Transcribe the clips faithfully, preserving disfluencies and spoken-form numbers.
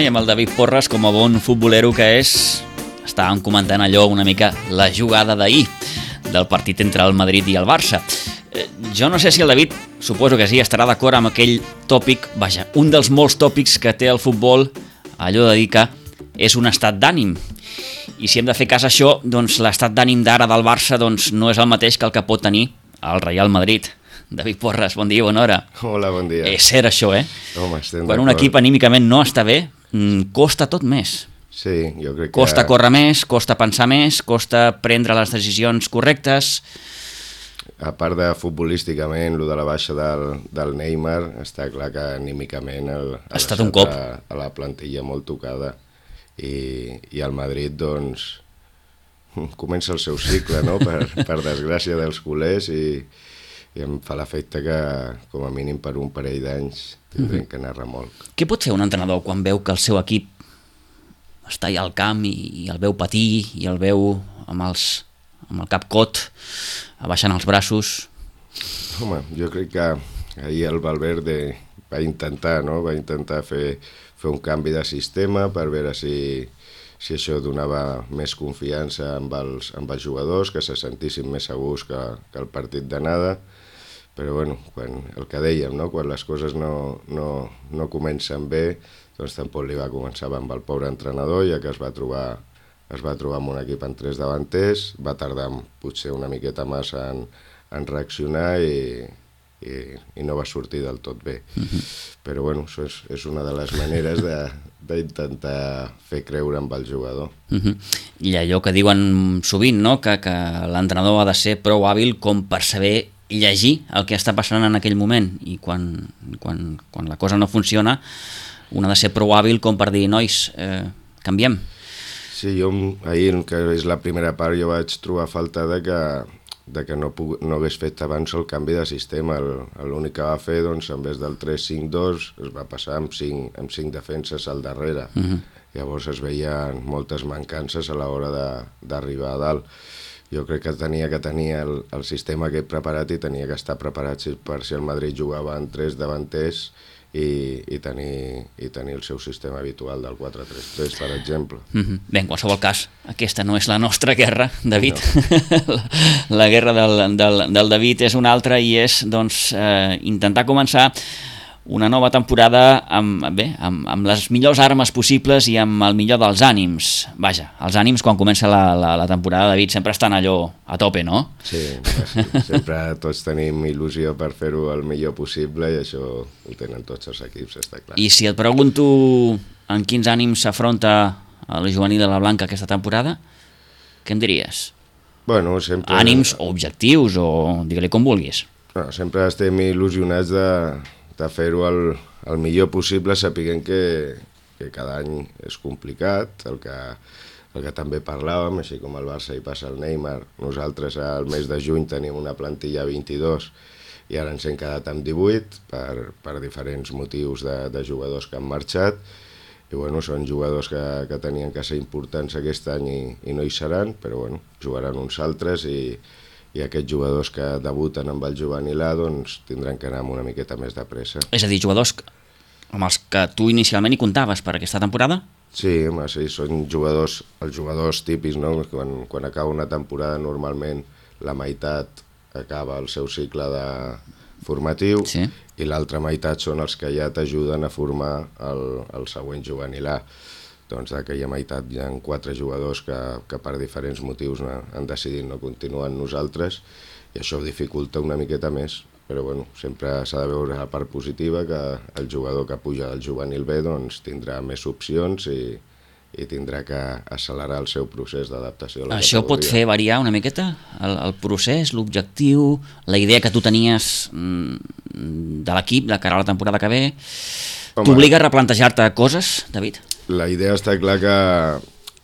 i amb el David Porres, com a bon futbolero que és, estàvem comentant allò una mica la jugada d'ahir del partit entre el Madrid i el Barça. Eh, jo no sé si el David, suposo que sí, estarà d'acord amb aquell tòpic, vaja, un dels molts tòpics que té el futbol, allò de dir que és un estat d'ànim. I si hem de fer cas a això, doncs l'estat d'ànim d'ara del Barça doncs, no és el mateix que el que pot tenir el Real Madrid. David Porres, bon dia, bona hora. Hola, bon dia. És cert això, eh? Home, estem Quan un d'acord. equip anímicament no està bé, costa tot més. Sí, jo crec que... Costa córrer més, costa pensar més, costa prendre les decisions correctes. A part de futbolísticament, lo de la baixa del, del Neymar, està clar que anímicament el, ha estat un cop a, a la plantilla molt tocada. I, i el Madrid, doncs, comença el seu cicle, no?, per, per desgràcia dels culers, i, i em fa l'efecte que, com a mínim per un parell d'anys, tindrem que anar remolc. Què pot fer un entrenador quan veu que el seu equip està allà al camp i, i el veu patir, i el veu amb, els, amb el cap cot, abaixant els braços? Home, jo crec que ahir el Valverde va intentar, no?, va intentar fer, fer un canvi de sistema per veure si, si això donava més confiança amb els, amb els jugadors, que se sentissin més segurs que, que el partit d'anada. Però bueno, quan, el que dèiem, no?, quan les coses no, no, no comencen bé, doncs tampoc li va començar amb el pobre entrenador, ja que es va trobar, es va trobar amb un equip en tres davanters, va tardar potser una miqueta massa en, en reaccionar i, i, i no va sortir del tot bé. Uh-huh. Però bueno, això és, és una de les maneres d'intentar fer creure amb el jugador. Uh-huh. I allò que diuen sovint, no?, que, que l'entrenador ha de ser prou hàbil com per saber llegir el que està passant en aquell moment, i quan, quan, quan la cosa no funciona un ha de ser prou hàbil com per dir, nois, eh, canviem. Sí, jo ahir, que és la primera part, jo vaig trobar falta de que, de que no, puc, no hagués fet abans el canvi de sistema. L'únic que va fer, doncs, en vez del tres cinc dos, es va passar amb cinc, amb cinc defenses al darrere. Uh-huh. Llavors es veien moltes mancances a l'hora d'arribar a dalt. Jo crec que tenia que tenir el, el sistema que he preparat, i tenia que estar preparat per si el Madrid jugava en tres davanters i, i, tenir, i tenir el seu sistema habitual del quatre tres tres, per exemple. Mm-hmm. Bé, en qualsevol cas, aquesta no és la nostra guerra, David. No. la, la guerra del, del, del David és una altra, i és doncs, eh, intentar començar una nova temporada amb, bé, amb, amb les millors armes possibles i amb el millor dels ànims. Vaja, els ànims quan comença la, la, la temporada, David, sempre estan allò a tope, no? Sí, sí, sempre tots tenim il·lusió per fer-ho el millor possible, i això ho tenen tots els equips, està clar. I si et pregunto en quins ànims s'afronta el juvenil de la Blanca aquesta temporada, què em diries? Bueno, sempre... Ànims o objectius, o digue-li com vulguis. No, sempre estem il·lusionats de... de fer-ho el, el millor possible, sapiguent que, que cada any és complicat, el que, el que també parlàvem, així com el Barça hi passa el Neymar. Nosaltres al mes de juny tenim una plantilla vint-i-dos i ara ens hem quedat amb divuit per, per diferents motius de, de jugadors que han marxat, i bueno, són jugadors que, que tenien que ser importants aquest any i, i no hi seran, però bueno, jugaran uns altres, i i aquests jugadors que debuten amb el juvenil A doncs, tindran que anar amb una miqueta més de pressa. És a dir, jugadors amb els que tu inicialment hi comptaves per aquesta temporada? Sí, home, sí, són jugadors, els jugadors típics, no? Quan, quan acaba una temporada normalment la meitat acaba el seu cicle de formatiu, sí, i l'altra meitat són els que ja t'ajuden a formar el, el següent juvenil A. Doncs d'aquella meitat hi ha quatre jugadors que, que per diferents motius no, han decidit no continuar amb nosaltres, i això ho dificulta una miqueta més, però bueno, sempre s'ha de veure la part positiva, que el jugador que puja del juvenil B doncs, tindrà més opcions i, i tindrà que accelerar el seu procés d'adaptació a la Això categoria. Pot fer variar una miqueta el, el procés, l'objectiu, la idea que tu tenies mm, de l'equip de cara a la temporada que ve? T'obliga a replantejar-te coses, David? La idea està clar que,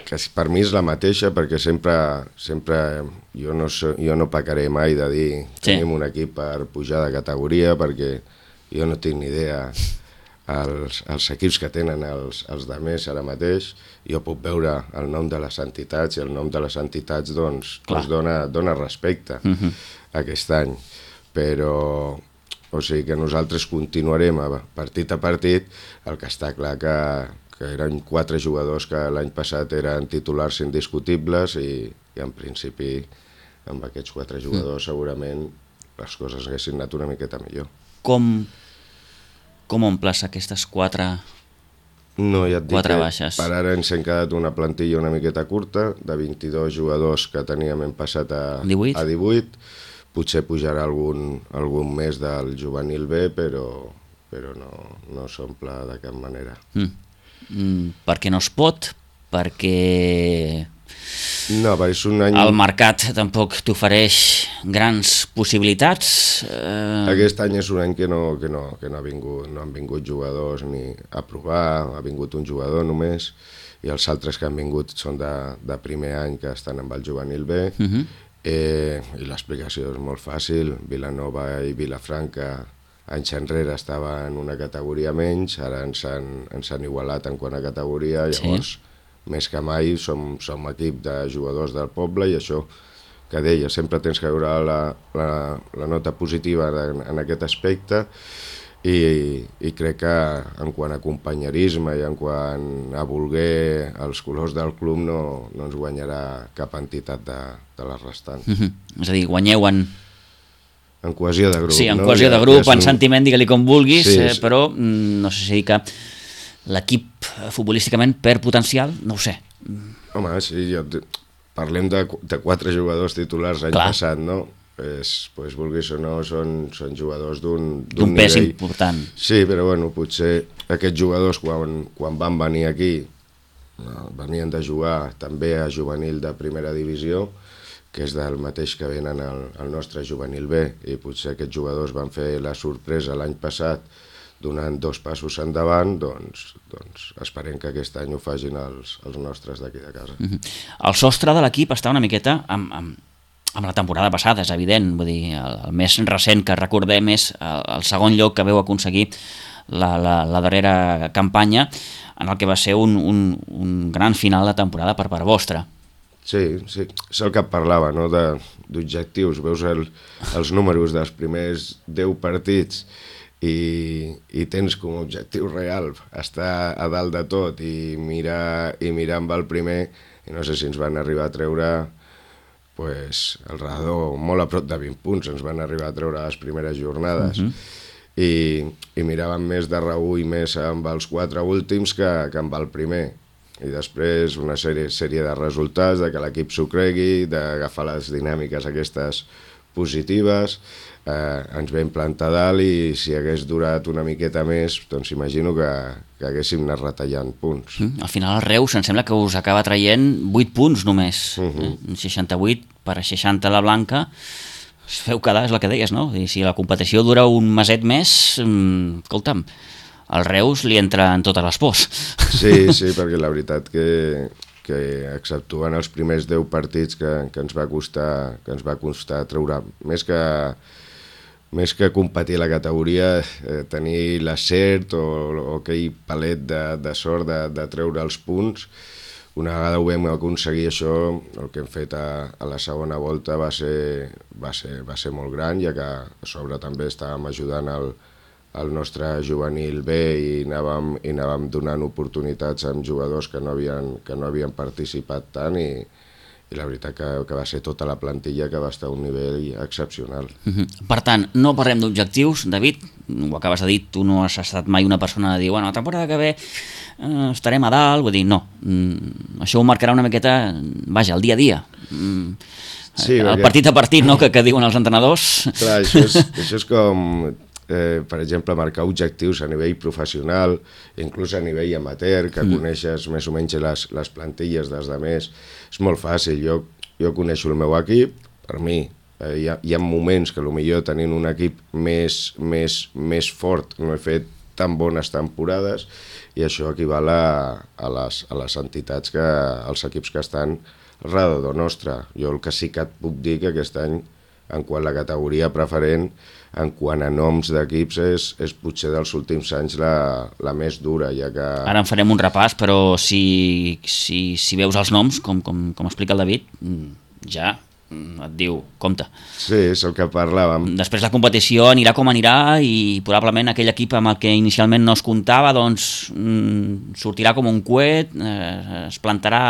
que per mi és la mateixa, perquè sempre, sempre jo, no so, jo no pecaré mai de dir sí, tenim un equip per pujar de categoria, perquè jo no tinc ni idea els, els equips que tenen els, els demés ara mateix. Jo puc veure el nom de les entitats, i el nom de les entitats doncs, doncs dona, dona respecte uh-huh. aquest any, però o sigui que nosaltres continuarem a partit a partit. El que està clar que, que eren quatre jugadors que l'any passat eren titulars indiscutibles i, i en principi amb aquests quatre jugadors mm. segurament les coses haguessin anat una miqueta millor. Com, com omples aquestes quatre, no, ja et dic quatre que baixes? Per ara ens hem quedat una plantilla una miqueta curta, de vint-i-dos jugadors que teníem hem passat a divuit. A divuit. Potser pujarà algun, algun més del juvenil B, però, però no, no s'omple de cap manera. Mm. Mm, perquè no es pot, perquè... No, és un any... El mercat tampoc t'ofereix grans possibilitats. Eh... Aquest any és un any que, no, que, no, que no, ha vingut, no han vingut jugadors ni a provar, ha vingut un jugador només, i els altres que han vingut són de, de primer any que estan amb el juvenil B. Uh-huh. Eh, I l'explicació és molt fàcil. Vilanova i Vilafranca anys enrere estava en una categoria menys, ara ens han, ens han igualat en quant a categoria, llavors sí. Més que mai som, som equip de jugadors del poble i això que deia, sempre tens que veure la, la, la nota positiva en, en aquest aspecte i, i crec que en quant a companyerisme i en quant a voler els colors del club no, no ens guanyarà cap entitat de, de les restants. Mm-hmm. És a dir, guanyeu en... En cohesió de grup. Sí, en no? cohesió ja, de grup, ja en un... sentiment, digue-li com vulguis, sí, eh, sí. Però no sé si dir que l'equip futbolísticament perd potencial, no ho sé. Home, sí, jo... parlem de, de quatre jugadors titulars l'any passat, no? És, pues, vulguis o no, són, són jugadors d'un d'un pes nivell important. Sí, però bueno, potser aquests jugadors quan, quan van venir aquí no, venien de jugar també a juvenil de primera divisió, que és del mateix que venen al, al nostre juvenil B, i potser aquests jugadors van fer la sorpresa l'any passat donant dos passos endavant, doncs, doncs esperem que aquest any ho facin els, els nostres d'aquí de casa. Mm-hmm. El sostre de l'equip està una miqueta amb, amb, amb la temporada passada, és evident, vull dir, el, el més recent que recordem és el, el segon lloc que veu aconseguir la, la, la darrera campanya, en el que va ser un, un, un gran final de temporada per part vostra. Sí, sí, és el que et parlava, no? D'objectius, veus el, els números dels primers deu partits i, i tens com a objectiu real estar a dalt de tot i mirar, i mirar amb el primer, i no sé si ens van arribar a treure pues, al redador, molt a prop de vint punts ens van arribar a treure les primeres jornades. Uh-huh. I, i miràvem més de reüll més amb els quatre últims que, que amb el primer. I després una sèrie, sèrie de resultats, de que l'equip s'ho cregui, d'agafar les dinàmiques aquestes positives, eh, ens vam plantar dalt i si hagués durat una miqueta més, doncs imagino que, que haguéssim anat retallant punts. Mm, al final el Reus em sembla que us acaba traient vuit punts només, uh-huh. eh? seixanta-vuit per a seixanta la Blanca, es feu quedar, és el que deies, no? I si la competició dura un meset més, mm, escolta'm, al Reus li entra en totes les pors. Sí, sí, perquè la veritat que, que exceptuant els primers deu partits que, que ens va costar que ens va costar treure, més que, més que competir a la categoria, eh, tenir l'acert o, o aquell palet de, de sort de, de treure els punts. Una vegada ho vam aconseguir això, el que hem fet a, a la segona volta va ser, va ser, va ser molt gran, ja que a sobre també estàvem ajudant el el nostre juvenil B i anàvem, i anàvem donant oportunitats amb jugadors que no havien, que no havien participat tant i, i la veritat que, que va ser tota la plantilla que va estar a un nivell excepcional. Uh-huh. Per tant, no parlem d'objectius, David, ho acabes de dir, tu no has estat mai una persona de dir, bueno, la temporada que ve eh, estarem a dalt, vull dir, no, mm, això ho marcarà una miqueta, vaja, el dia a dia. Mm, sí, el perquè... partit a partit, no?, que, que diuen els entrenadors. Clar, això és, això és com... Eh, per exemple, marcar objectius a nivell professional, inclús a nivell amateur, que mm. coneixes més o menys les, les plantilles dels altres, és molt fàcil. Jo, jo coneixo el meu equip, per mi eh, hi, ha, hi ha moments que potser tenint un equip més, més, més fort no he fet tan bones temporades i això equival a, a, les, a les entitats, que, als equips que estan al redador nostre. Jo el que sí que et puc dir que aquest any, en quant a la categoria preferent, en quant a noms d'equips, és, és potser dels últims anys la, la més dura, ja que... Ara en farem un repàs, però si, si, si veus els noms, com, com, com explica el David, ja et diu, compte. Sí, és el que parlàvem. Després la competició anirà com anirà i probablement aquell equip amb el que inicialment no es comptava doncs mm, sortirà com un coet, eh, es plantarà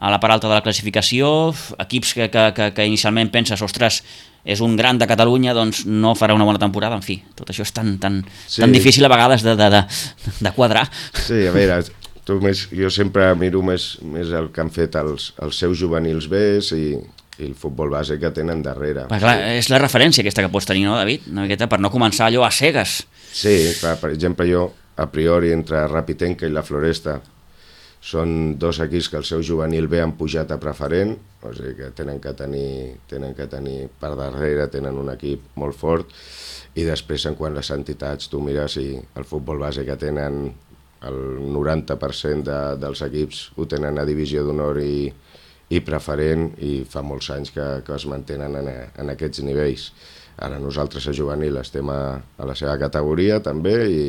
a la part alta de la classificació, equips que, que, que, que inicialment penses, ostres, és un gran de Catalunya, doncs no farà una bona temporada, en fi, tot això és tan, tan, sí. tan difícil a vegades de, de, de, de quadrar. Sí, a veure, tu més, jo sempre miro més, més el que han fet els, els seus juvenils bes i, i el futbol base que tenen darrere. Però clar, és la referència aquesta que pots tenir, no, David? Una miqueta per no començar allò a cegues. Sí, clar, per exemple, jo, a priori, entre Rapitenca i la Floresta, són dos equips que el seu juvenil B han pujat a preferent, o sigui que tenen que tenir, tenen que tenir per darrere, tenen un equip molt fort, i després en quant a les entitats, tu mires i el futbol base que tenen el noranta per cent de, dels equips ho tenen a divisió d'honor i, i preferent, i fa molts anys que, que es mantenen en, en aquests nivells. Ara nosaltres a juvenil estem a, a la seva categoria també, i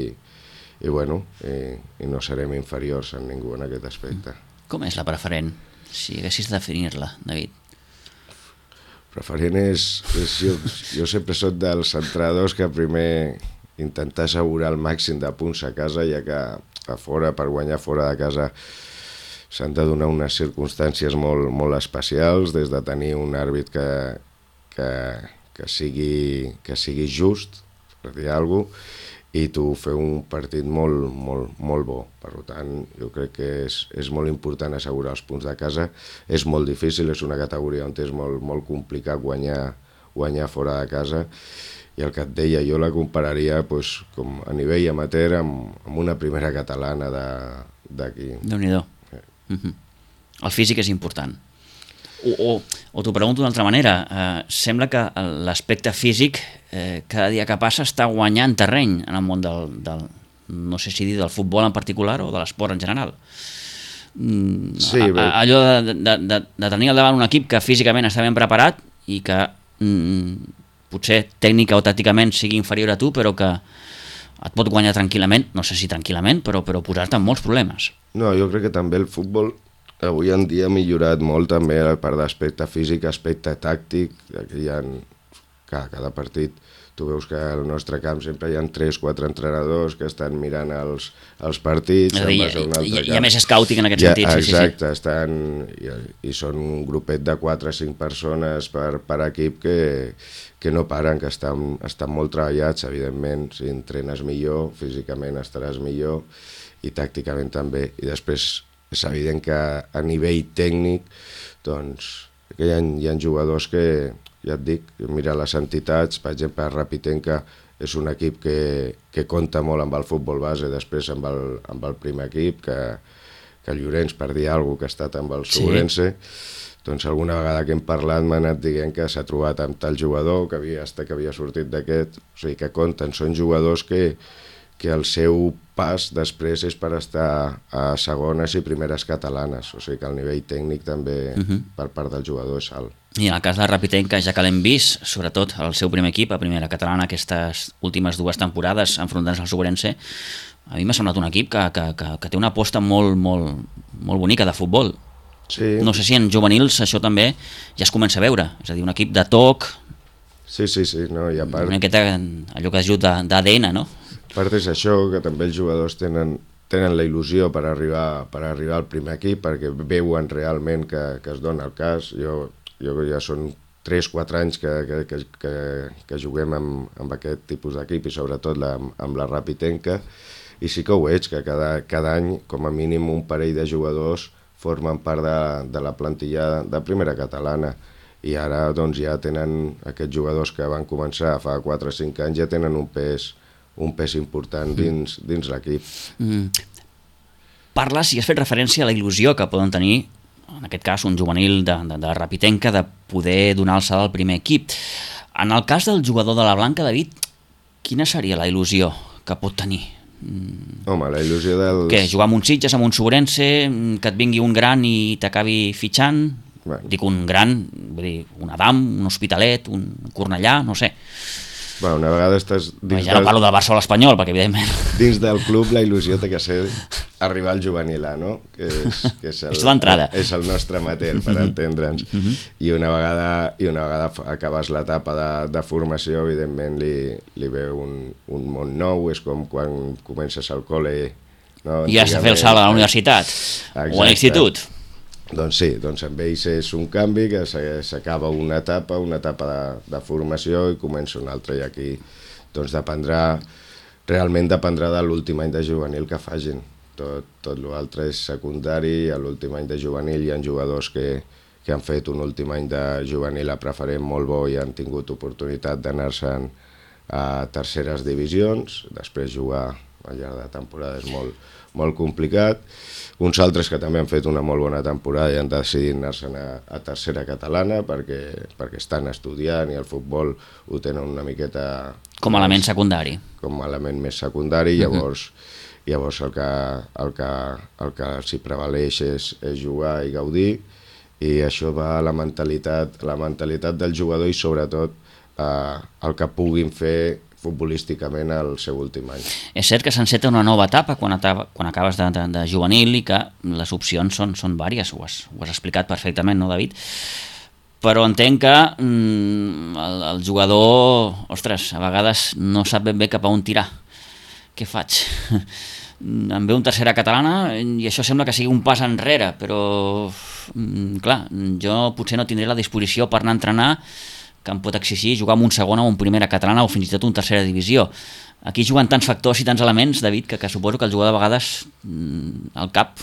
i bueno, i, i no serem inferiors en ningú en aquest aspecte. Com és la preferent, si haguessis de definir-la, David? Preferent és, és jo, jo sempre soc dels entrenadors que primer intentar assegurar el màxim de punts a casa, ja que a fora, per guanyar fora de casa, s'han de donar unes circumstàncies molt, molt especials, des de tenir un àrbit que, que, que, sigui, que sigui just, per dir alguna cosa, i tu fer un partit molt, molt, molt bo. Per tant, jo crec que és, és molt important assegurar els punts de casa. És molt difícil, és una categoria on és molt, molt complicat guanyar, guanyar fora de casa. I el que et deia, jo la compararia pues, com a nivell amateur amb, amb una primera catalana d'aquí. Déu-n'hi-do. Sí. Uh-huh. El físic és important. O, o, o t'ho pregunto d'una altra manera, eh, sembla que l'aspecte físic eh, cada dia que passa està guanyant terreny en el món del, del, no sé si dir del futbol en particular o de l'esport en general. Mm, sí, a, a, allò de, de, de, de tenir al davant un equip que físicament està ben preparat i que mm, potser tècnica o tàcticament sigui inferior a tu, però que et pot guanyar tranquil·lament, no sé si tranquil·lament, però, però posar-te en molts problemes. No, jo crec que també el futbol avui en dia ha millorat molt també a part d'aspecte físic, aspecte tàctic. Aquí hi ha, cada, cada partit, tu veus que al nostre camp sempre hi ha tres quatre entrenadors que estan mirant els, els partits. És a dir, hi, hi, hi ha més scouting en aquest ja, sentit. Sí, exacte, sí, sí. Estan, i, i són un grupet de quatre o cinc persones per, per equip que, que no paren, que estan, estan molt treballats, evidentment. Si entrenes millor, físicament estaràs millor i tàcticament també. I després és evident que a nivell tècnic doncs, que hi ha, hi ha jugadors que, ja et dic, mira les entitats, per exemple, Rapitenca és un equip que, que compta molt amb el futbol base, després amb el, amb el primer equip, que, que Llorenç, per dir alguna cosa, que ha estat amb el Sobrense, sí. Doncs alguna vegada que hem parlat m'ha anat dient que s'ha trobat amb tal jugador, que havia, que havia sortit d'aquest, o sigui que compten, són jugadors que que el seu pas després és per estar a segones i primeres catalanes, o sigui que el nivell tècnic també uh-huh. per part del jugador és alt. I en el cas de Rapitenca, ja que l'hem vist, sobretot el seu primer equip, a primera catalana, aquestes últimes dues temporades enfrontant-se al Sobrense, a mi m'ha semblat un equip que, que, que, que té una aposta molt, molt, molt bonica de futbol. Sí. No sé si en juvenils això també ja es comença a veure, és a dir, un equip de toc, sí, sí, sí, no, i a part... una miqueta allò que es diu d'A D N, no? A part és això, que també els jugadors tenen, tenen la il·lusió per arribar, per arribar al primer equip, perquè veuen realment que, que es dona el cas. Jo, jo ja són tres quatre anys que, que, que, que, que juguem amb, amb aquest tipus d'equip i sobretot la, amb la Rapitenca, i sí que ho veig, que cada, cada any com a mínim un parell de jugadors formen part de, de la plantilla de primera catalana. I ara doncs, ja tenen aquests jugadors que van començar fa quatre o cinc anys, ja tenen un pes un pes important dins, dins l'equip. Mm. Parles, i has fet referència a la il·lusió que poden tenir, en aquest cas un juvenil de, de, de Rapitenca, de poder donar alçada al primer equip. En el cas del jugador de la Blanca, David, quina seria la il·lusió que pot tenir? Mm. Home, la il·lusió dels... Què, jugar amb un Sitges, amb un Sobrense, que et vingui un gran i t'acabi fitxant? Bueno. Dic un gran, vull dir, un Adam, un Hospitalet, un Cornellà, no sé. Bueno, una vegada estàs... Dins ja no del... parlo del Barça o l'Espanyol, perquè evidentment... Dins del club la il·lusió té que ser arribar al juvenil A, no? Que és, que és, el, és l'entrada. És el nostre amateur, per entendre'ns. Uh -huh. I una vegada, i una vegada acabes l'etapa de, de formació, evidentment li, li ve un, un món nou, és com quan comences al col·le. No? I has de fer el salt a la universitat. Exacte. O a l'institut. Doncs sí, doncs amb ells és un canvi que s'acaba una etapa, una etapa de, de formació i comença una altra, i aquí doncs dependrà, realment dependrà de l'últim any de juvenil que facin. Tot, tot l'altre és secundari, a l'últim any de juvenil hi ha jugadors que, que han fet un últim any de juvenil a preferent molt bo i han tingut oportunitat d'anar-se'n a terceres divisions, després jugar al llarg de temporada és molt, molt complicat. Uns altres que també han fet una molt bona temporada i han decidit anar-se'n a, a tercera catalana perquè, perquè estan estudiant i el futbol ho tenen una miqueta... Com a element secundari. Com a element més secundari, llavors, uh-huh. llavors el que, el que, el que s'hi prevaleix és, és jugar i gaudir, i això va a la mentalitat, la mentalitat del jugador i sobretot eh, el que puguin fer futbolísticament al seu últim any. És cert que s'enceta una nova etapa quan, etapa, quan acabes de, de, de juvenil i que les opcions són, són vàries, ho has, ho has explicat perfectament, no, David? Però entenc que mm, el, el jugador, ostres, a vegades no sap ben bé cap a on tirar. Què faig? Em ve un tercera catalana i això sembla que sigui un pas enrere, però mm, clar, jo potser no tindré la disposició per anar a entrenar que em pot exigir jugar amb un segona o un primera catalana o fins i tot un tercera divisió. Aquí juguen tants factors i tants elements, David, que, que suposo que el jugador de vegades el cap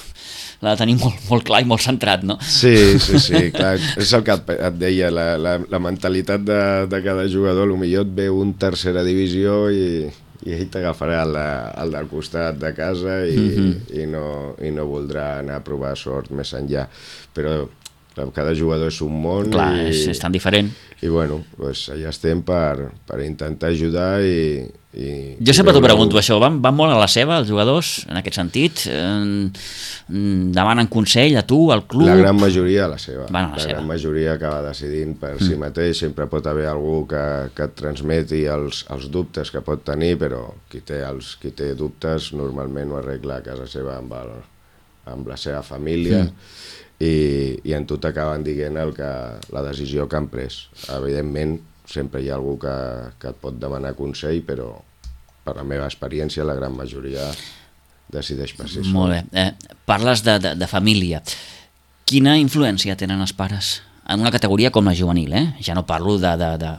l'ha de tenir molt, molt clar i molt centrat, no? Sí, sí, sí, clar, és el que et, et deia, la, la, la mentalitat de, de cada jugador, potser et ve un tercera divisió i, i ell t'agafarà el, el del costat de casa i, mm-hmm. i, no, i no voldrà anar a provar sort més enllà, però cada jugador és un món. Clar, i, és, és tan diferent. I bueno, pues allà estem per, per intentar ajudar i... i jo sempre t'ho pregunto, això, van, van molt a la seva els jugadors, en aquest sentit? Eh, demanen consell a tu, al club? La gran majoria a la seva. Van a la, la seva. gran majoria acaba decidint per mm. si mateix, sempre pot haver algú que, que et transmeti els, els dubtes que pot tenir, però qui té, els, qui té dubtes normalment ho arregla a casa seva amb, el, amb la seva família. Mm. I, i en tot acaben dient el que, la decisió que han pres. Evidentment, sempre hi ha algú que, que et pot demanar consell, però per la meva experiència la gran majoria decideix per si sol. Molt bé. Eh, parles de, de, de família. Quina influència tenen els pares en una categoria com la juvenil? Eh? Ja no parlo de, de, de,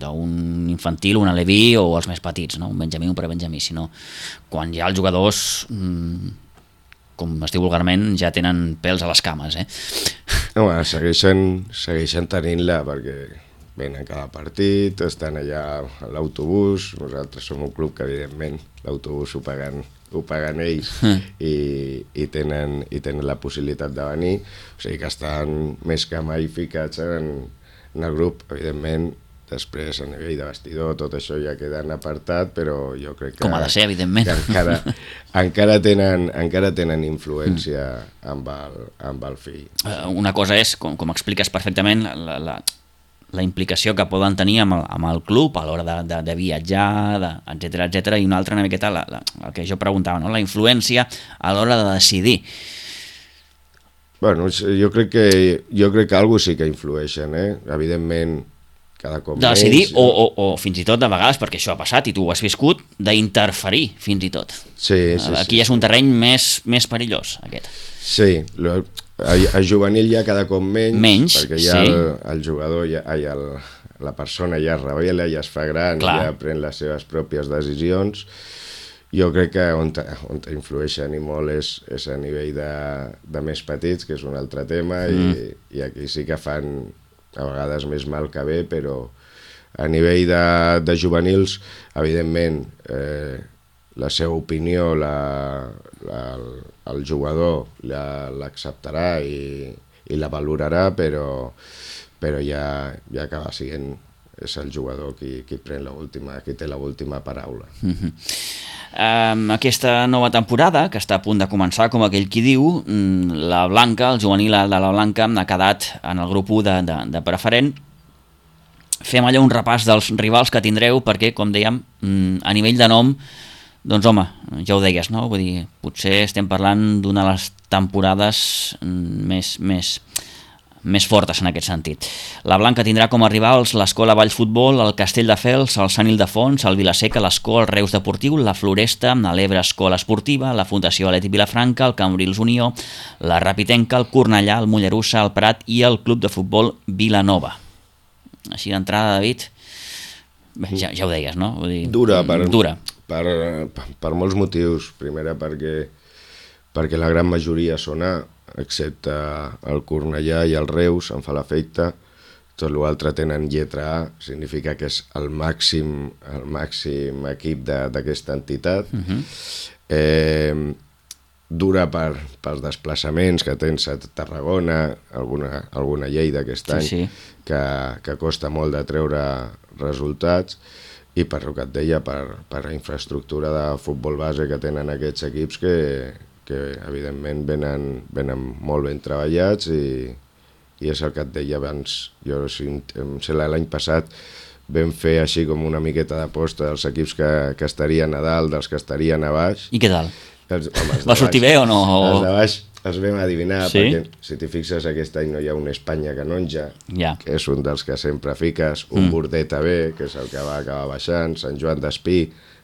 d'un infantil, un aleví o els més petits, no? Un benjamí, un prebenjamí, sinó quan hi ha els jugadors... Mm, com es diu vulgarment, ja tenen pèls a les cames, eh? No, segueixen, segueixen tenint-la perquè venen cada partit, estan allà a l'autobús, nosaltres som un club que evidentment l'autobús ho paguen, ho paguen ells mm. i, i, tenen, i tenen la possibilitat de venir, o sigui que estan més que mai ficats en, en el grup, evidentment. Després, a nivell de vestidor, tot això ja queda en apartat, però jo crec que... Com ha de ser, evidentment. encara, encara, tenen, encara tenen influència mm. amb, el, amb el fill. Una cosa és, com, com expliques perfectament, la, la, la implicació que poden tenir amb el, amb el club a l'hora de, de, de viatjar, de, etcètera, etcètera, i una altra una miqueta, la, la, el que jo preguntava, no? La influència a l'hora de decidir. Bueno, jo crec que, jo crec que alguna sí que influeixen, eh? Evidentment, cada cop de decidir, menys, o, o, o fins i tot de vegades, perquè això ha passat i tu ho has viscut, d'interferir fins i tot. Sí, sí, aquí sí, és un terreny més, més perillós, aquest. Sí, lo, a, a juvenil ja cada cop menys, menys perquè ja sí. el, el jugador, ja, ai, el, la persona ja es revela, ja es fa gran, Clar. ja pren les seves pròpies decisions. Jo crec que on, on influeixen i molt és, és a nivell de, de més petits, que és un altre tema, mm. i, i aquí sí que fan... a vegades més mal que bé, però a nivell de, de juvenils, evidentment, eh, la seva opinió, la, la, el, el jugador l'acceptarà i, i la valorarà, però, però ja, ja acaba sent és el jugador qui, qui, pren la última, qui té l'última paraula. Mm-hmm. Um, aquesta nova temporada, que està a punt de començar, com aquell qui diu, la Blanca, el juvenil de la Blanca, ha quedat en el grup u de, de, de preferent. Fem allà un repàs dels rivals que tindreu, perquè, com dèiem, a nivell de nom, Doncs home, ja ho deies, no? Vull dir, potser estem parlant d'una de les temporades més, més, més fortes en aquest sentit. La Blanca tindrà com a rivals l'Escola Valls Futbol, el Castelldefels, el Sant Ildefons, el Vilaseca, l'Escó, el Reus Deportiu, la Floresta, l'Ebre Escola Esportiva, la Fundació Atlètic Vilafranca, el Cambrils Unió, la Rapitenca, el Cornellà, el Mollerussa, el Prat i el Club de Futbol Vilanova. Així d'entrada, David, bé, ja, ja ho deies, no? Vull dir, dura, per, dura. Per, per, per molts motius. Primera perquè, perquè la gran majoria són A, excepte el Cornellà i el Reus, em fa l'efecte. Tot l'altre tenen lletra A, significa que és el màxim, el màxim equip d'aquesta entitat. Uh-huh. eh, dura per, pels desplaçaments que tens a Tarragona, alguna, alguna Lleida aquest any, sí, sí. Que, que costa molt de treure resultats, i per el que et deia, per, per la infraestructura de futbol base que tenen aquests equips que, que evidentment venen, venen molt ben treballats, i, i és el que et deia abans. Jo em sé l'any passat vam fer així com una miqueta d'aposta dels equips que, que estarien a dalt, dels que estarien a baix. I què tal? Els, home, va sortir bé o no? Els de baix els vam adivinar, sí? Perquè si t'hi fixes aquest any no hi ha un Espanya Canonja, ja. Que és un dels que sempre fiques, un mm. Bordeta B, que és el que va acabar baixant, Sant Joan d'Espí,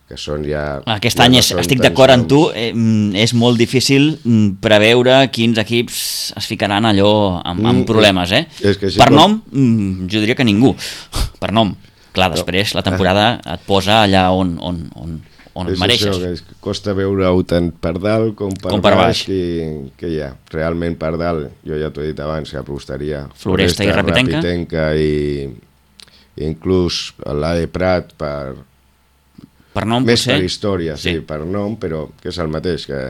que són ja... Aquest ja any no és, estic d'acord amb tu, eh, és molt difícil preveure quins equips es ficaran allò amb, amb problemes, eh? És, és que per com... nom, jo diria que ningú, per nom. Clar, després la temporada et posa allà on... on, on on et mereixes. Això, que costa veure-ho tant per dalt com per, com per baix, baix. Que, que hi ha. Realment per dalt, jo ja t'ho he dit abans, que apostaria Floresta, Floresta i Rapitenca, Rapitenca i, i inclús l'A E Prat per, per nom, més potser? Per història, sí. sí, per nom, però que és el mateix, que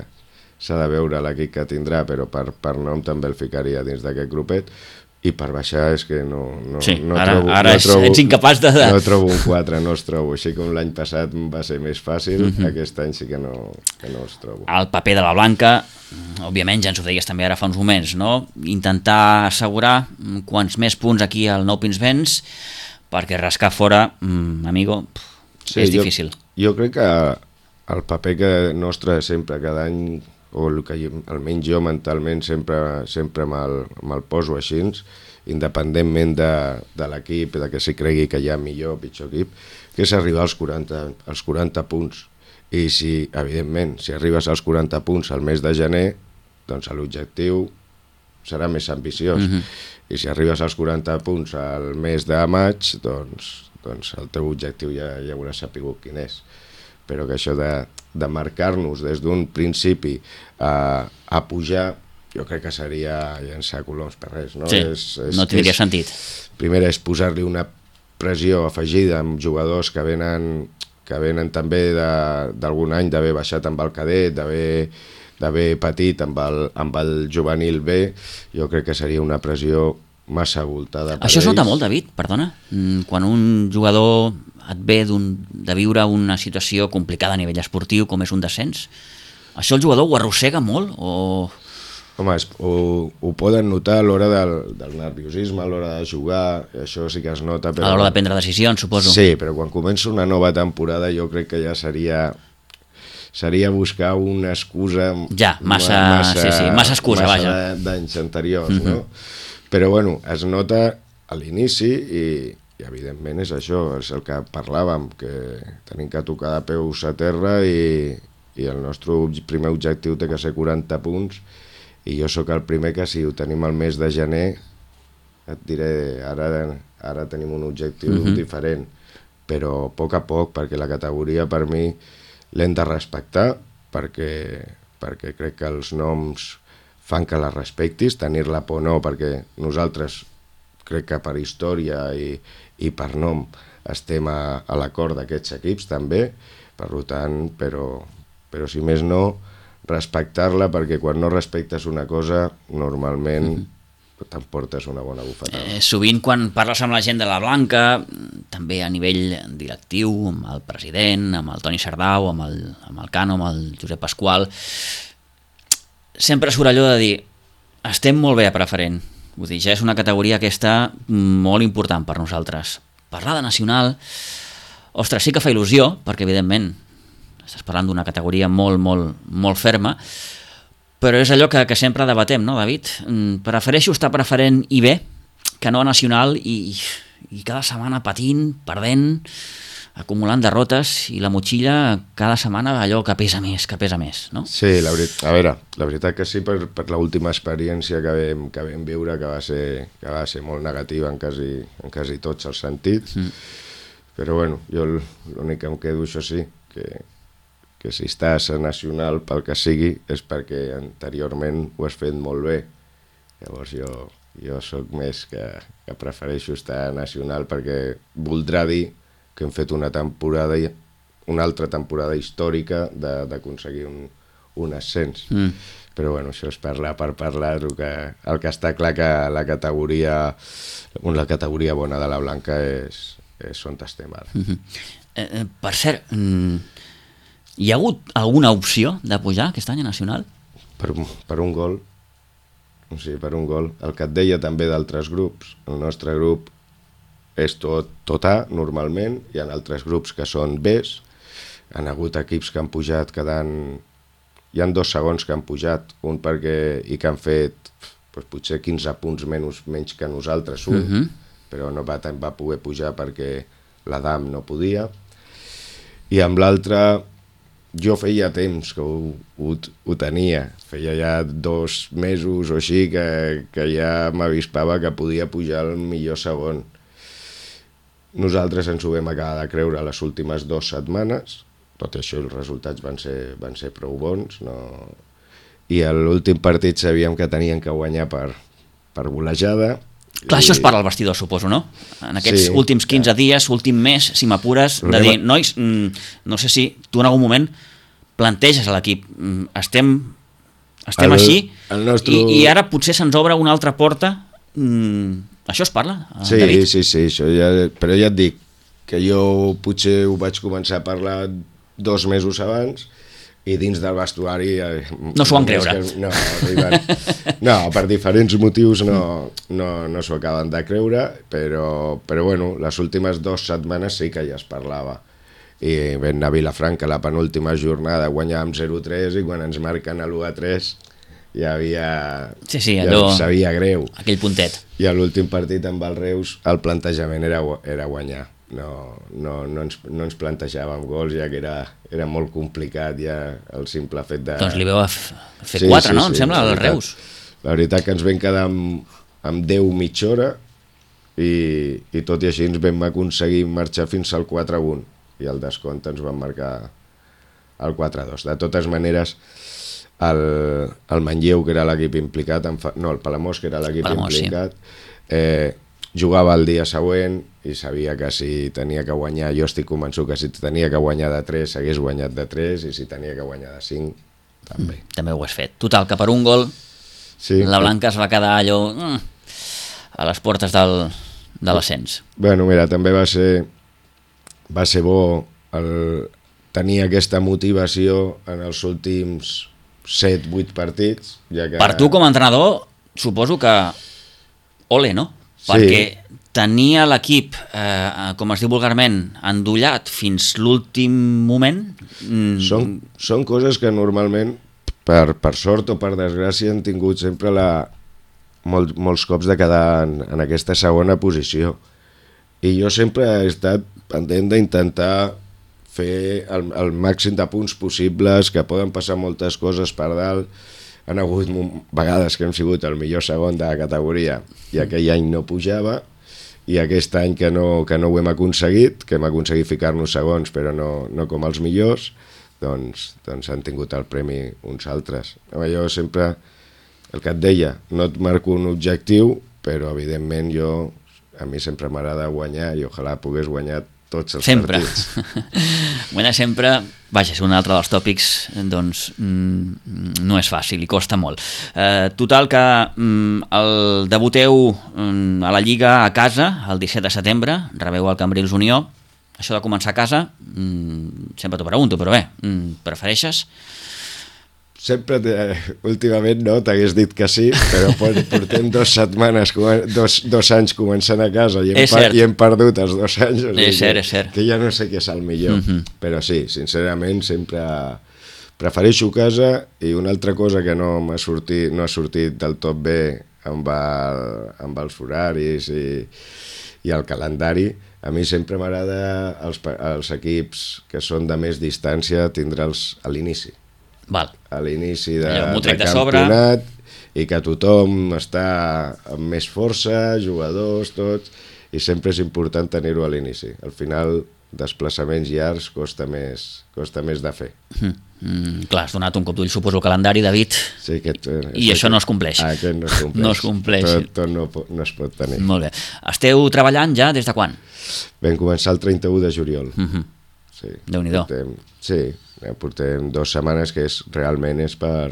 s'ha de veure l'equip que tindrà, però per, per nom també el ficaria dins d'aquest grupet. I per baixar és que no, no, sí, no ara, trobo... Ara no trobo, ets incapaç de... No trobo un quatre, no els trobo. Així com l'any passat va ser més fàcil, mm-hmm. aquest any sí que no, que no els trobo. El paper de la Blanca, òbviament, ja ens ho deies també ara fa uns moments, no? Intentar assegurar quants més punts aquí al Nou Pinsbens, perquè rascar fora, mm, amigo, sí, és difícil. Jo, jo crec que el paper que nostre sempre, cada any, o el que almenys jo mentalment sempre, sempre me'l, me'l poso així, independentment de, de l'equip, de que s'hi cregui que hi ha millor o pitjor equip, que és arribar als quaranta, als quaranta punts. I si, evidentment, si arribes als quaranta punts al mes de gener, doncs l'objectiu serà més ambiciós. Mm-hmm. I si arribes als quaranta punts al mes de maig, doncs, doncs el teu objectiu ja, ja hauràs sapigut quin és. Però que això de, de marcar-nos des d'un principi a, a pujar, jo crec que seria llançar coloms per res. No, sí, és, és, no tindria és, sentit. Primera és posar-li una pressió afegida amb jugadors que venen, que venen també d'algun any d'haver baixat amb el cadet, d'haver patit amb el, amb el juvenil B. Jo crec que seria una pressió massa voltada per Això ells. es nota molt, David, perdona. Quan un jugador et ve de viure una situació complicada a nivell esportiu, com és un descens, això el jugador ho arrossega molt o... Home, es, ho, ho poden notar a l'hora del, del nerviosisme, a l'hora de jugar, això sí que es nota. Però... A l'hora de prendre decisions, suposo. Sí, però quan comença una nova temporada jo crec que ja seria... seria buscar una excusa... Ja, massa, massa, sí, sí, massa excusa, massa vaja. d'anys anteriors, mm-hmm. no? Però bueno, es nota a l'inici i, i evidentment és això, és el que parlàvem, que tenim que tocar de peus a terra i, i el nostre primer objectiu té que ser quaranta punts, i jo sóc el primer que si ho tenim al mes de gener et diré, ara, ara tenim un objectiu mm-hmm. diferent, però a poc a poc, perquè la categoria per mi l'hem de respectar, perquè, perquè crec que els noms fan que la respectis, tenir-la por no, perquè nosaltres crec que per història i, i per nom estem a, a l'acord d'aquests equips també, per tant, però, però si més no, respectar-la, perquè quan no respectes una cosa, normalment mm-hmm. t'emportes una bona bufetada. Eh, sovint quan parles amb la gent de la Blanca, també a nivell directiu, amb el president, amb el Toni Sardau, amb el, amb el Cano, amb el Josep Pasqual, sempre surt allò de dir estem molt bé a preferent, vull dir, ja és una categoria aquesta molt important per nosaltres. Parlar de nacional, ostres, sí que fa il·lusió, perquè evidentment estàs parlant d'una categoria molt, molt, molt ferma, però és allò que, que sempre debatem, no, David? Prefereixo estar preferent I B que no nacional i, i cada setmana patint, perdent, acumulant derrotes i la motxilla cada setmana allò que pesa més, que pesa més, no? Sí, la veritat, a veure, la veritat que sí, per, per l'última experiència que vam, que vam viure, que va ser, que va ser molt negativa en quasi, en quasi tots els sentits, mm. però bueno, jo l'únic que em quedo, això sí, que, que si estàs a nacional pel que sigui és perquè anteriorment ho has fet molt bé. Llavors jo, jo sóc més que, que prefereixo estar a nacional perquè voldrà dir que hem fet una temporada, una altra temporada històrica d'aconseguir un, un ascens. Mm. Però bueno, això és parlar per parlar, el que, el que està clar que la categoria, la categoria bona de la Blanca és, és on estem ara. Mm-hmm. eh, per cert, hi ha hagut alguna opció de pujar aquest any a Nacional? Per, per un gol, o sigui, per un gol. El que et deia també d'altres grups, el nostre grup és tot, tot A, normalment, hi ha altres grups que són Bs, han hagut equips que han pujat quedant... Hi ha dos segons que han pujat, un perquè i que han fet doncs, potser quinze punts menys, menys que nosaltres, un, uh-huh. però no va, va poder pujar perquè l'Adam no podia. I amb l'altre, jo feia temps que ho, ho, ho tenia, feia ja dos mesos o així que, que ja m'avispava que podia pujar al millor segon. Nosaltres ens ho vam acabar de creure les últimes dues setmanes, tot i això els resultats van ser, van ser prou bons, no... i a l'últim partit sabíem que tenien que guanyar per, per golejada. Clar, i... això es parla al vestidor, suposo, no? En aquests sí, últims quinze ja. dies, últim mes, si m'apures, de dir, nois, no sé si tu en algun moment planteges a l'equip, estem, estem el, així, el nostre... i, i ara potser se'ns obre una altra porta... Mmm, això es parla, sí, David? Sí, sí, això ja, però ja et dic que jo potser ho vaig començar a parlar dos mesos abans i dins del vestuari... No s'ho van creure. Que, no, arriben, no, per diferents motius no, no, no s'ho acaben de creure, però, però bueno, les últimes dues setmanes sí que ja es parlava. I vam anar a Vilafranca la penúltima jornada, guanyàvem zero a tres i quan ens marquen l'u a tres... ja havia... Sí, sí, allò... Ja sabia greu. Aquell puntet. I a l'últim partit amb el Reus el plantejament era, era guanyar. No, no, no, ens, no ens plantejàvem gols, ja que era, era molt complicat ja el simple fet de... Doncs li veu a fer sí, quatre, sí, no? Sí, em sembla, al Reus. La veritat que ens vam quedar amb, amb deu mitja hora i, i tot i així ens vam aconseguir marxar fins al quatre a un i al descompte ens van marcar el quatre a dos. De totes maneres... El, el Manlleu, que era l'equip implicat, no, el Palamós, que era l'equip implicat, sí. eh, jugava el dia següent i sabia que si tenia que guanyar, jo estic convençut que si tenia que guanyar de tres, hagués guanyat de tres, i si tenia que guanyar de cinc, també. Mm, també ho has fet. Total, que per un gol sí, la Blanca es va quedar allò mm, a les portes del, de l'ascens. Bueno, mira, també va ser, va ser bo el, tenir aquesta motivació en els últims set vuit partits. Ja que... Per tu com a entrenador suposo que ole, no? Sí. Perquè tenia l'equip, eh, com es diu vulgarment, endollat fins l'últim moment. Mm. Són, són coses que normalment, per, per sort o per desgràcia, han tingut sempre la, molt, molts cops de quedar en, en aquesta segona posició. I jo sempre he estat pendent d'intentar fer el, el màxim de punts possibles, que poden passar moltes coses per dalt. Han hagut vegades que hem sigut el millor segon de la categoria i aquell any no pujava, i aquest any que no, que no ho hem aconseguit, que hem aconseguit ficar-nos segons però no, no com els millors, doncs, doncs han tingut el premi uns altres. Jo sempre, el que et deia, no et marco un objectiu, però evidentment jo, a mi sempre m'agrada guanyar i ojalà pogués guanyar tots els sempre. partits. Guanyar sempre, vaja, és un altre dels tòpics, doncs mm, no és fàcil i costa molt. Eh, total que mm, el debuteu mm, a la Lliga a casa el disset de setembre, rebeu el Cambrils Unió. Això de començar a casa, mm, sempre t'ho pregunto, però bé, mm, prefereixes? sempre, últimament no, t'hagués dit que sí, però portem dues setmanes, dos, dos anys començant a casa i hem, per, i hem perdut els dos anys. O sigui és cert, que, és cert. Que ja no sé què és el millor. Mm -hmm. Però sí, sincerament, sempre prefereixo casa, i una altra cosa que no m'ha sortit, no ha sortit del tot bé amb, el, amb els horaris i, i el calendari, a mi sempre m'agrada els, els equips que són de més distància tindre'ls a l'inici. Val. A l'inici de, de, de campionat, i que tothom està amb més força, jugadors, tots, i sempre és important tenir-ho a l'inici. Al final, desplaçaments llargs costa més, costa més de fer. Mm, mm, clar, has donat un cop d'ull, suposo, al calendari, David, sí, aquest, i això no es compleix. Ah, aquest no es compleix. No es compleix. Tot, tot no, no es pot tenir. Molt bé. Esteu treballant ja des de quan? Vam començar el trenta-u de juliol. Mm -hmm. Sí. Déu-n'hi-do. Portem, sí, portem dues setmanes que és, realment és per,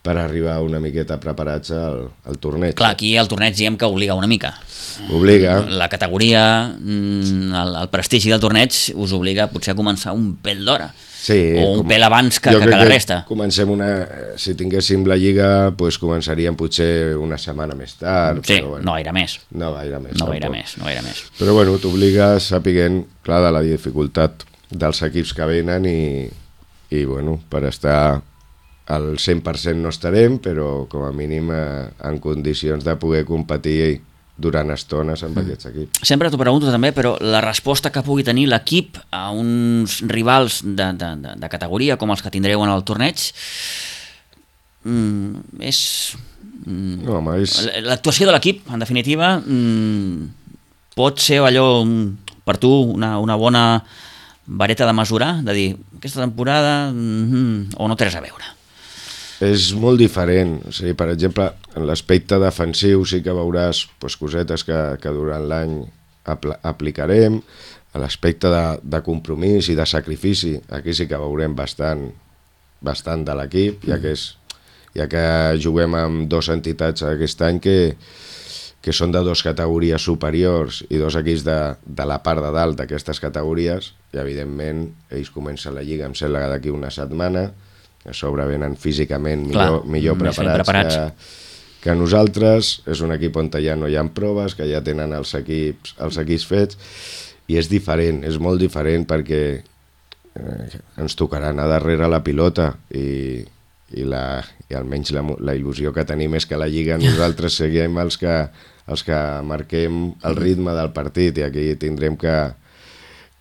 per arribar una miqueta preparats al, al torneig. Clar, aquí el torneig diem que obliga una mica. Obliga. La categoria, el, el prestigi del torneig us obliga potser a començar un pèl d'hora. Sí, o un com, pèl abans que, que, que la resta. Comencem una, si tinguéssim la Lliga, pues començaríem potser una setmana més tard. Sí, però bueno, no gaire més. No gaire més. No gaire més, no gaire més. Però bueno, t'obliga sapiguent, clar, de la dificultat dels equips que venen i, i bueno, per estar al cent per cent no estarem, però com a mínim eh, en condicions de poder competir durant estones amb mm. aquests equips. Sempre t'ho pregunto també, però la resposta que pugui tenir l'equip a uns rivals de, de, de, de categoria com els que tindreu en el torneig mm, és... Mm, no, home, és... L'actuació de l'equip, en definitiva, mm, pot ser allò per tu una, una bona vareta de mesurar, de dir, aquesta temporada mm, o no té res a veure. És molt diferent. O sigui, per exemple, en l'aspecte defensiu sí que veuràs pues, cosetes que, que durant l'any apl aplicarem. A l'aspecte de, de compromís i de sacrifici, aquí sí que veurem bastant, bastant de l'equip, ja que és, ja que juguem amb dues entitats aquest any que, que són de dues categories superiors i dos equips de, de la part de dalt d'aquestes categories, i evidentment ells comencen la Lliga, em sembla que d'aquí una setmana, a sobre venen físicament millor, Clar, millor preparats, preparats. Que, que nosaltres. És un equip on ja no hi ha proves, que ja tenen els equips, els equips fets, i és diferent, és molt diferent perquè eh, ens tocarà anar darrere la pilota i, i, la, i almenys la, la il·lusió que tenim és que la Lliga nosaltres seguim els que, els que marquem el ritme del partit, i aquí tindrem que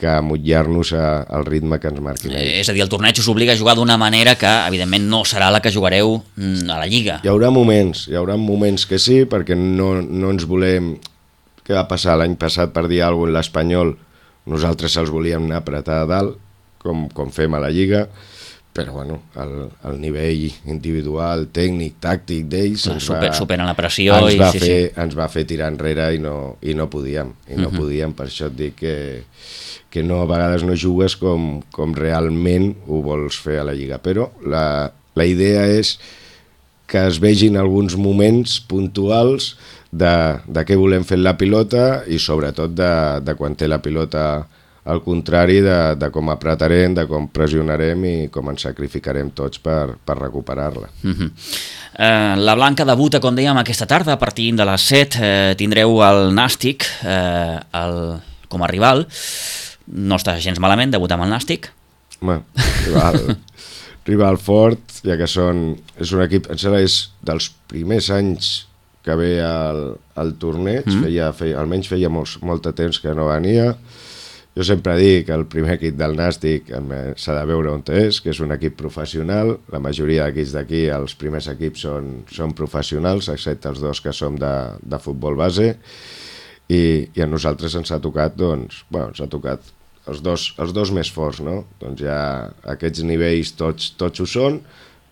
que amotlar-nos al ritme que ens marquin ells. És a dir, el torneig us obliga a jugar d'una manera que, evidentment, no serà la que jugareu a la Lliga. Hi haurà moments, hi haurà moments que sí, perquè no, no ens volem... Què va passar l'any passat, per dir alguna cosa, en l'Espanyol? Nosaltres els volíem anar a apretar a dalt, com, com fem a la Lliga, però bueno, el, el nivell individual, tècnic, tàctic d'ells ens, Super, superen la pressió ens, i, va sí, fer, sí. ens va fer tirar enrere i no, i no podíem, i no uh -huh. podíem, per això et dic que, que no, a vegades no jugues com, com realment ho vols fer a la Lliga, però la, la idea és que es vegin alguns moments puntuals de, de què volem fer la pilota i sobretot de, de quan té la pilota al contrari, de, de com apretarem, de com pressionarem i com ens sacrificarem tots per, per recuperar-la. Uh -huh. eh, la Blanca debuta, com dèiem, aquesta tarda, a partir de les set. Eh, tindreu el Nàstic eh, el, com a rival. No està gens malament debutar amb el Nàstic. Home, rival, rival fort, ja que són, és un equip, em sembla, és dels primers anys que ve al, al torneig, mm. feia, feia, almenys feia molts, molt de temps que no venia. Jo sempre dic que el primer equip del Nàstic s'ha de veure on és, que és un equip professional. La majoria d'equips d'aquí, els primers equips són, són professionals, excepte els dos que som de, de futbol base, i, i a nosaltres ens ha tocat, doncs, bueno, ens ha tocat els dos, els dos més forts, no? Doncs ja aquests nivells tots, tots ho són,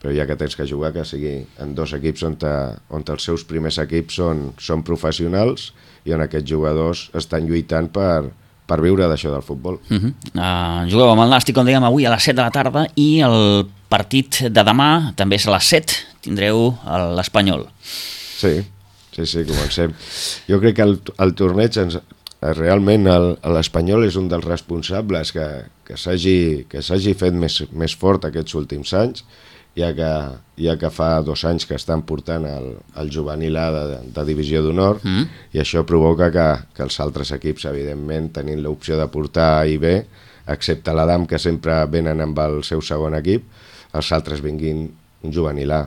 però ja que tens que jugar, que sigui en dos equips on, te, on els seus primers equips són, són professionals i on aquests jugadors estan lluitant per per viure d'això del futbol. Uh -huh. uh, jugueu amb el Nàstic, com dèiem, avui a les set de la tarda, i el partit de demà també és a les set, tindreu l'Espanyol. Sí, sí, sí, comencem. Jo crec que el, el torneig, ens, realment l'Espanyol és un dels responsables que, que s'hagi fet més, més fort aquests últims anys, ja que, ja que fa dos anys que estan portant el, el juvenil A de, de divisió d'honor, mm. i això provoca que, que els altres equips, evidentment, tenint l'opció de portar A i B, excepte l'Adam, que sempre venen amb el seu segon equip, els altres vinguin un juvenil A.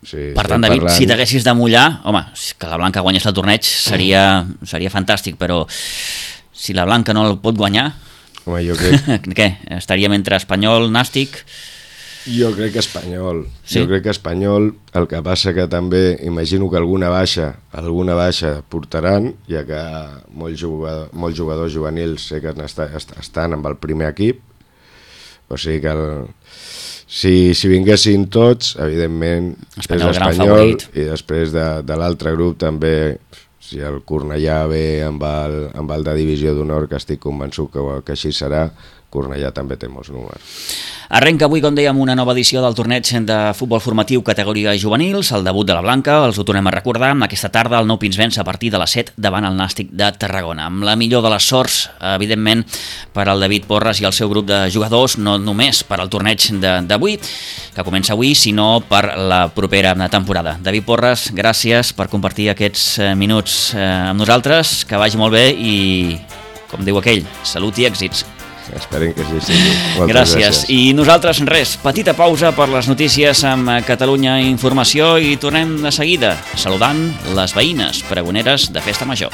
O sigui, per tant, David, parlant... si t'haguessis de mullar, home, que la Blanca guanyés el torneig seria, seria fantàstic, però si la Blanca no el pot guanyar, home, jo crec... què? Estaríem entre Espanyol, Nàstic... Jo crec que Espanyol, sí? Jo crec que Espanyol, el que passa que també imagino que alguna baixa, alguna baixa portaran, ja que molts jugadors, molts jugadors juvenils sé que estan amb el primer equip, o sigui que el, si, si vinguessin tots, evidentment Espanyol, és l'Espanyol, i després de, de l'altre grup també, si el Cornellà ve amb el, amb el de divisió d'honor, que estic convençut que, que així serà, Cornellà també té molts números. Arrenca avui, com dèiem, una nova edició del torneig de futbol formatiu categoria juvenils, el debut de la Blanca, els ho tornem a recordar, aquesta tarda el Nou Pinsbens a partir de les set davant el Nàstic de Tarragona. Amb la millor de les sorts, evidentment, per al David Porres i el seu grup de jugadors, no només per al torneig d'avui, que comença avui, sinó per la propera temporada. David Porres, gràcies per compartir aquests minuts amb nosaltres, que vagi molt bé i, com diu aquell, salut i èxits. Esperem que sí sigui. Moltes gràcies. gràcies. I nosaltres, res, petita pausa per les notícies amb Catalunya Informació i tornem de seguida saludant les veïnes pregoneres de Festa Major.